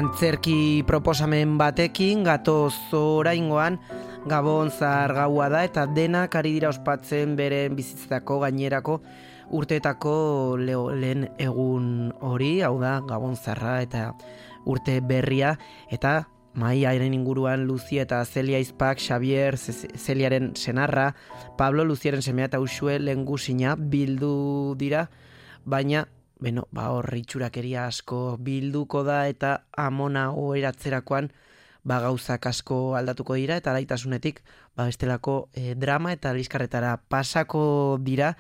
Antzerki proposamen batekin gatoz oraingoan Gabon zahar gaua da eta denak ari dira ospatzen beren bizitzako gainerako urteetako lehen egun hori, hau da Gabon zaharra eta urte berria, eta mahaiaren inguruan Lucia eta Celia Izpak, Xavier, Celiaren senarra, Pablo Luziaren semea eta Uxue lehengusina bildu dira, baina hor itxurakeria asko bilduko da eta amona oheratzerakoan gauzak asko aldatuko dira eta alaitasunetik bestelako drama eta liskarretara pasako dira.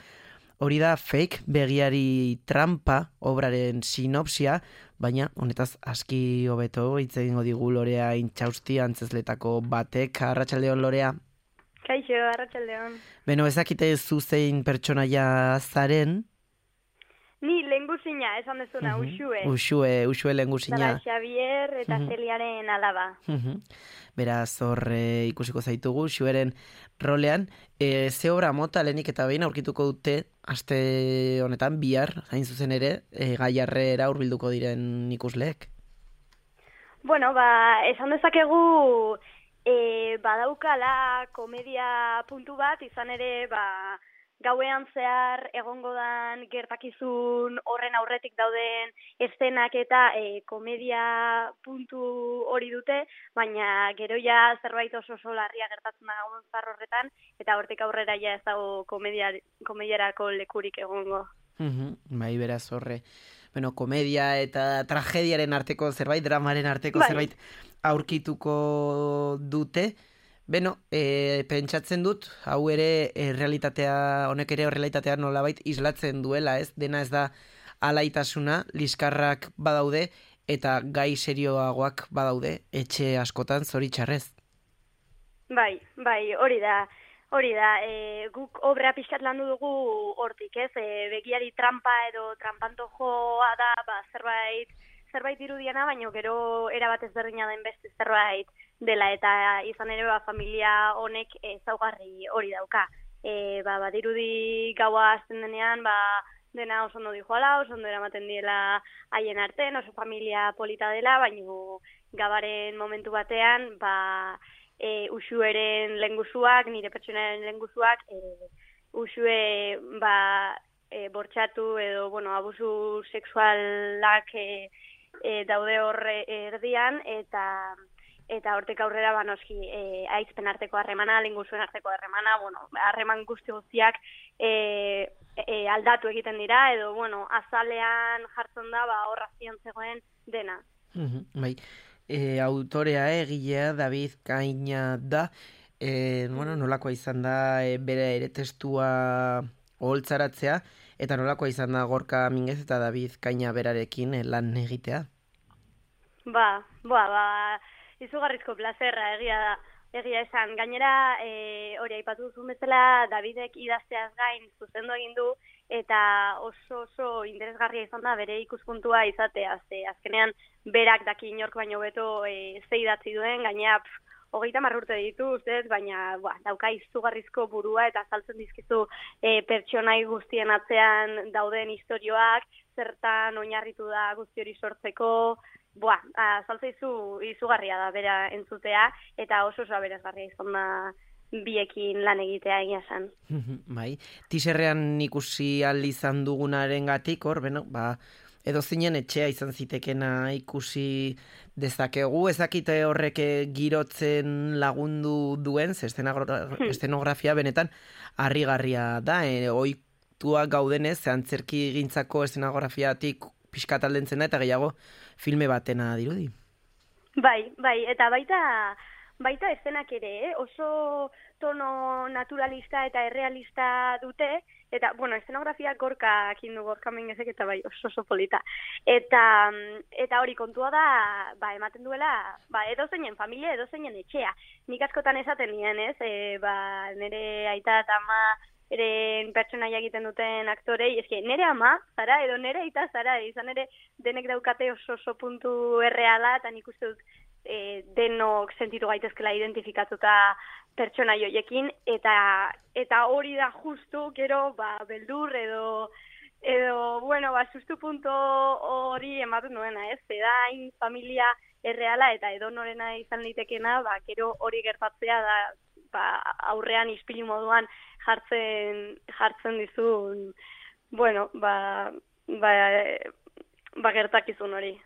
Hori da Fake begiari trampa obraren sinopsia, baina honetaz aski hobeto hitz egingo digu Lorea Intxausti antzezletako batek. Arratsaldeon, Lorea. Kaixo, arratsaldeon. Ezakite zu zein pertsonaia zaren? Ni lehengusina, esan dezuna, Uxue lehengusina. Zara Xavier eta Celiaren alaba. Beraz, hor ikusiko zaitugu, Uxueren rolean. Ze obra mota lehenik eta behin aurkituko dute, aste honetan, bihar, hain zuzen ere, Gaiarrera hurbilduko diren ikusleek? Bueno, esan dezakegu, badaukala komedia puntu bat, izan ere, gauean zehar egongo dan gertakizun horren aurretik dauden eszenak eta komedia puntu hori dute, baina gero ja zerbait oso larria gertatzen da Gabon zahar horretan, eta hortik aurrera ja ez dago komediarako lekurik egongo. Bai, beraz horre. Komedia eta tragediaren arteko zerbait, dramaren arteko zerbait aurkituko dute. Pentsatzen dut, hau ere realitatea, honek ere realitatea nolabait islatzen duela, ez? Dena ez da alaitasuna, liskarrak badaude eta gai serioagoak badaude, etxe askotan zoritxarrez. Bai, hori da. Guk obra pixkat landu dugu hortik, ez? Begiari trampa edo trampantojoa da, zerbait irudiana, baina gero erabat ezberdina den beste zerbait dela, eta izan ere familia honek ezaugarri hori dauka. Badirudi gaua hasten denean, dena oso ondo dijoala, oso ondo eramaten diela haien artean, oso familia polita dela, baina gabaren momentu batean, Uxueren lehengusuak, nire pertsonaren lehengusuak, Uxue bortxatu edo, abusu sexualak daude horre erdian, eta hortik aurrera noski aizpen arteko harremana, lehengusuen arteko harremana, harreman guztiak aldatu egiten dira, edo azalean jartzen da horra zion zegoen dena. Bai. Autorea egilea David Kaina da, nolakoa izan da bere ere testua oholtzaratzea, eta nolakoa izan da Gorka Minguez eta David Kaina berarekin lan egitea? Izugarrizko plazerra egia esan. Gainera, hori aipatu duzun bezala, Davidek idazteaz gain zuzendu egin du, eta oso interesgarria izan da bere ikuspuntua izatea. Azkenean, berak daki inork baino beto ze idatzi duen, gainera 30 urte ditu, baina dauka izugarrizko burua eta azaltzen dizkizu pertsonai guztien atzean dauden istorioak, zertan oinarritu da guzti hori sortzeko, azaltzeizu izugarria da bera entzutea, eta oso aberasgarria izan da biekin lan egitea egia esan. Bai, tiserrean ikusi ahal izan dugunaren gatik, hor, edo zinen etxea izan zitekena ikusi dezakegu, ezakite horrek girotzen lagundu duen, estenografia benetan harrigarria da, ohitua gaudenez, antzerki gintzako estenografiatik pixkat aldentzen da, eta gehiago filme batena dirudi. Bai, eta baita eszenak ere, oso tono naturalista eta errealista dute, eta, estenografia Gorka Minguezek eta oso polita. Eta hori kontua da, ematen duela, edozeinen familia, edozeinen etxea. Nik askotan esaten nien, ez? Nire aita eta ama eren pertsonaia egiten duten aktorei, nire ama zara edo nire aita zara, izan ere denek daukate oso puntu erreala, eta nik uste dut denok sentitu gaitezkela identifikatuta pertsona joiekin, eta hori da justu, gero, beldur edo sustu punto hori ematen duena, ez? Zedain familia erreala eta edonorena izan litekena, gero hori gertatzea da aurrean ispilu moduan jartzen dizun, bueno, gertakizun hori.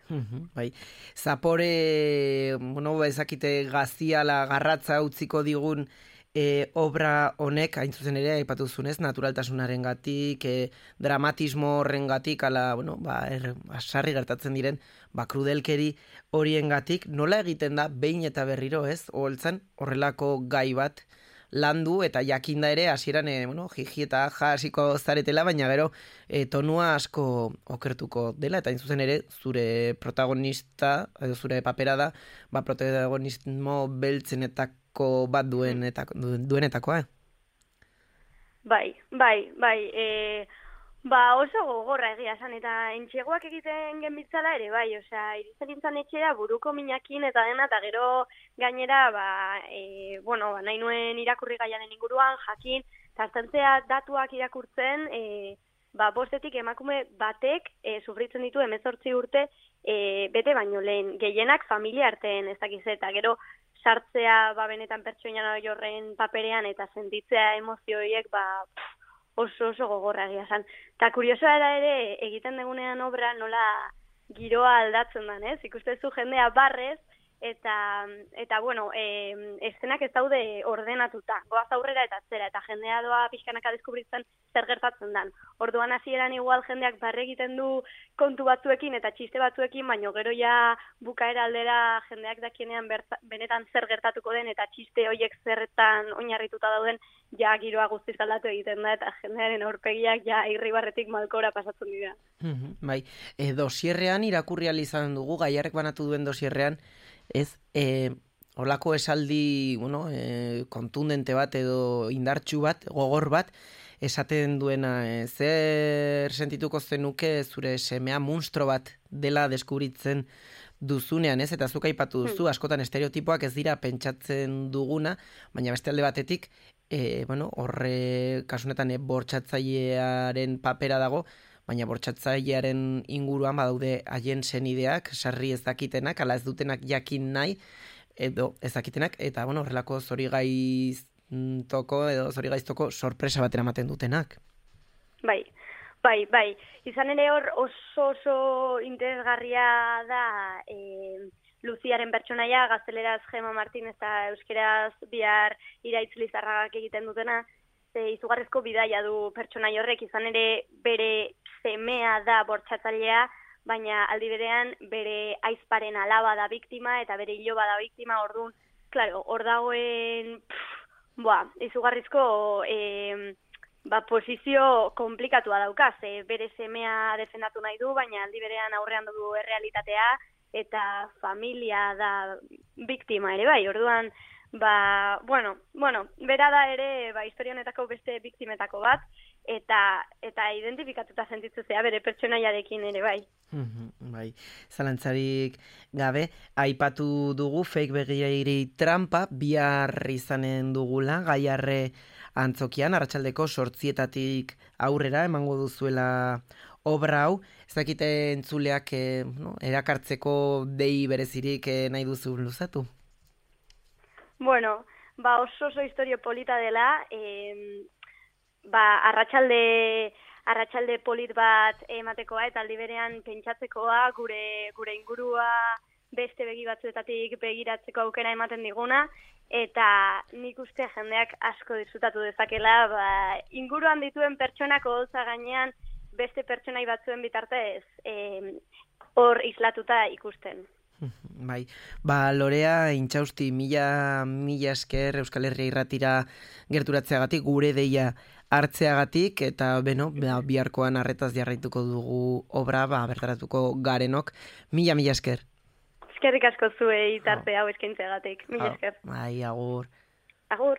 Bai. Zapore, bueno, ezakite gaziala garratza utziko digun obra honek, hain zuzen ere, aipatu zunez, naturaltasunaren gatik, dramatismo horren gatik, ala, bueno, sarri gertatzen diren, krudelkeri horien gatik, nola egiten da, behin eta berriro, ez, oholtzan, horrelako gai bat, landu, eta jakinda ere, hasieran, jiji eta jasiko zaretela, baina gero, tonua asko okertuko dela, eta hain zuzen ere, zure protagonista, edo zure papera da, protagonismo beltzenetako bat duenetakoa. Bai. Oso gogorra egia esan, eta entxegoak egiten genbitzala ere, bai, osea, irizten nintzen etxera buruko minakin eta dena, eta gero gainera, nahi nuen irakurri gaiaren inguruan, jakin, eta aztentzea datuak irakurtzen, bostetik emakume batek sufritzen ditu 18 urte bete baino lehen, gehienak familia artean ez dakiz, eta gero sartzea benetan pertsoinan horren paperean eta sentitzea emozioiek oso gogorra egia esan. Eta kuriosoa ere egiten degunean obra nola giroa aldatzen den, ez? Ikustezu jendea barrez eta bueno, eszenak ez daude ordenatuta. Goaz aurrera eta atzera, eta jendea doa pixkanaka deskubritzen zer gertatzen dan. Orduan hasieran igual jendeak barre egiten du kontu batzuekin eta txiste batzuekin, baino gero ja bukaera aldera jendeak dakienean benetan zer gertatuko den eta txiste horiek zerretan oinarrituta dauden ja giroa guztiz aldatu egiten da eta jendearen aurpegiak ja irribarretik malkora pasatzen dira. Bai, dosierrean irakurri ahal izan dugu, Gaiarrek banatu duen dosierrean, ez, holako esaldi, kontundente bat edo indartsu bat, gogor bat, esaten duena, zer sentituko zenuke zure semea munstro bat dela deskubritzen duzunean, ez? Eta zuk aipatu duzu, askotan estereotipoak ez dira pentsatzen duguna, baina beste alde batetik, horre kasunetan bortxatzailearen papera dago, baina bortxatzailearen inguruan badaude haien senideak, sarri ez dakitenak, ala ez dutenak jakin nahi, edo ez dakitenak, eta horrelako zorigaiztoko sorpresa bat eramaten dutenak. Bai. Izan ere hor oso interesgarria da Luziaren pertsonaia, gazteleraz Gema Martin eta euskeraz Bihar Iraitz Lizarragak egiten dutena, izugarrizko bidaia du pertsonai horrek, izan ere bere semea da bortxatzailea, baina aldi berean bere aizparen alaba da biktima eta bere iloba da biktima, orduan, claro, hor dagoen izugarrizko posizio komplikatua daukaz, bere semea defendatu nahi du, baina aldi berean aurrean du errealitatea eta familia da biktima ere bai, orduan bera da ere historia honetako beste biktimetako bat eta identifikatuta sentitzea bere pertsonaiarekin ere bai. Bai, zalantzarik gabe, aipatu dugu fake begiri trampa bihar izanen dugula, Gaiarre antzokian, arratsaldeko 8:00 aurrera emango duzuela obra hau, ez dakite entzuleak erakartzeko dei berezirik nahi duzu luzatu? Bueno, oso historio polita dela, arratsalde polit bat ematekoa eta aldi berean pentsatzekoa, gure ingurua beste begi batzuetatik begiratzeko aukera ematen diguna, eta nik uste jendeak asko disfrutatu dezakela, inguruan dituen pertsonak oholtza gainean beste pertsonai batzuen bitartez hor islatuta ikusten. Bai, Lorea Intxausti, mila esker Euskal Herria Irratira gerturatzeagatik, gure deia hartzeagatik, eta biharkoan arretaz jarraituko dugu obra, bertaratuko garenok, mila esker. Eskerrik asko zuei tarte hau eskaintzeagatik, mila esker. Bai, agur. Agur.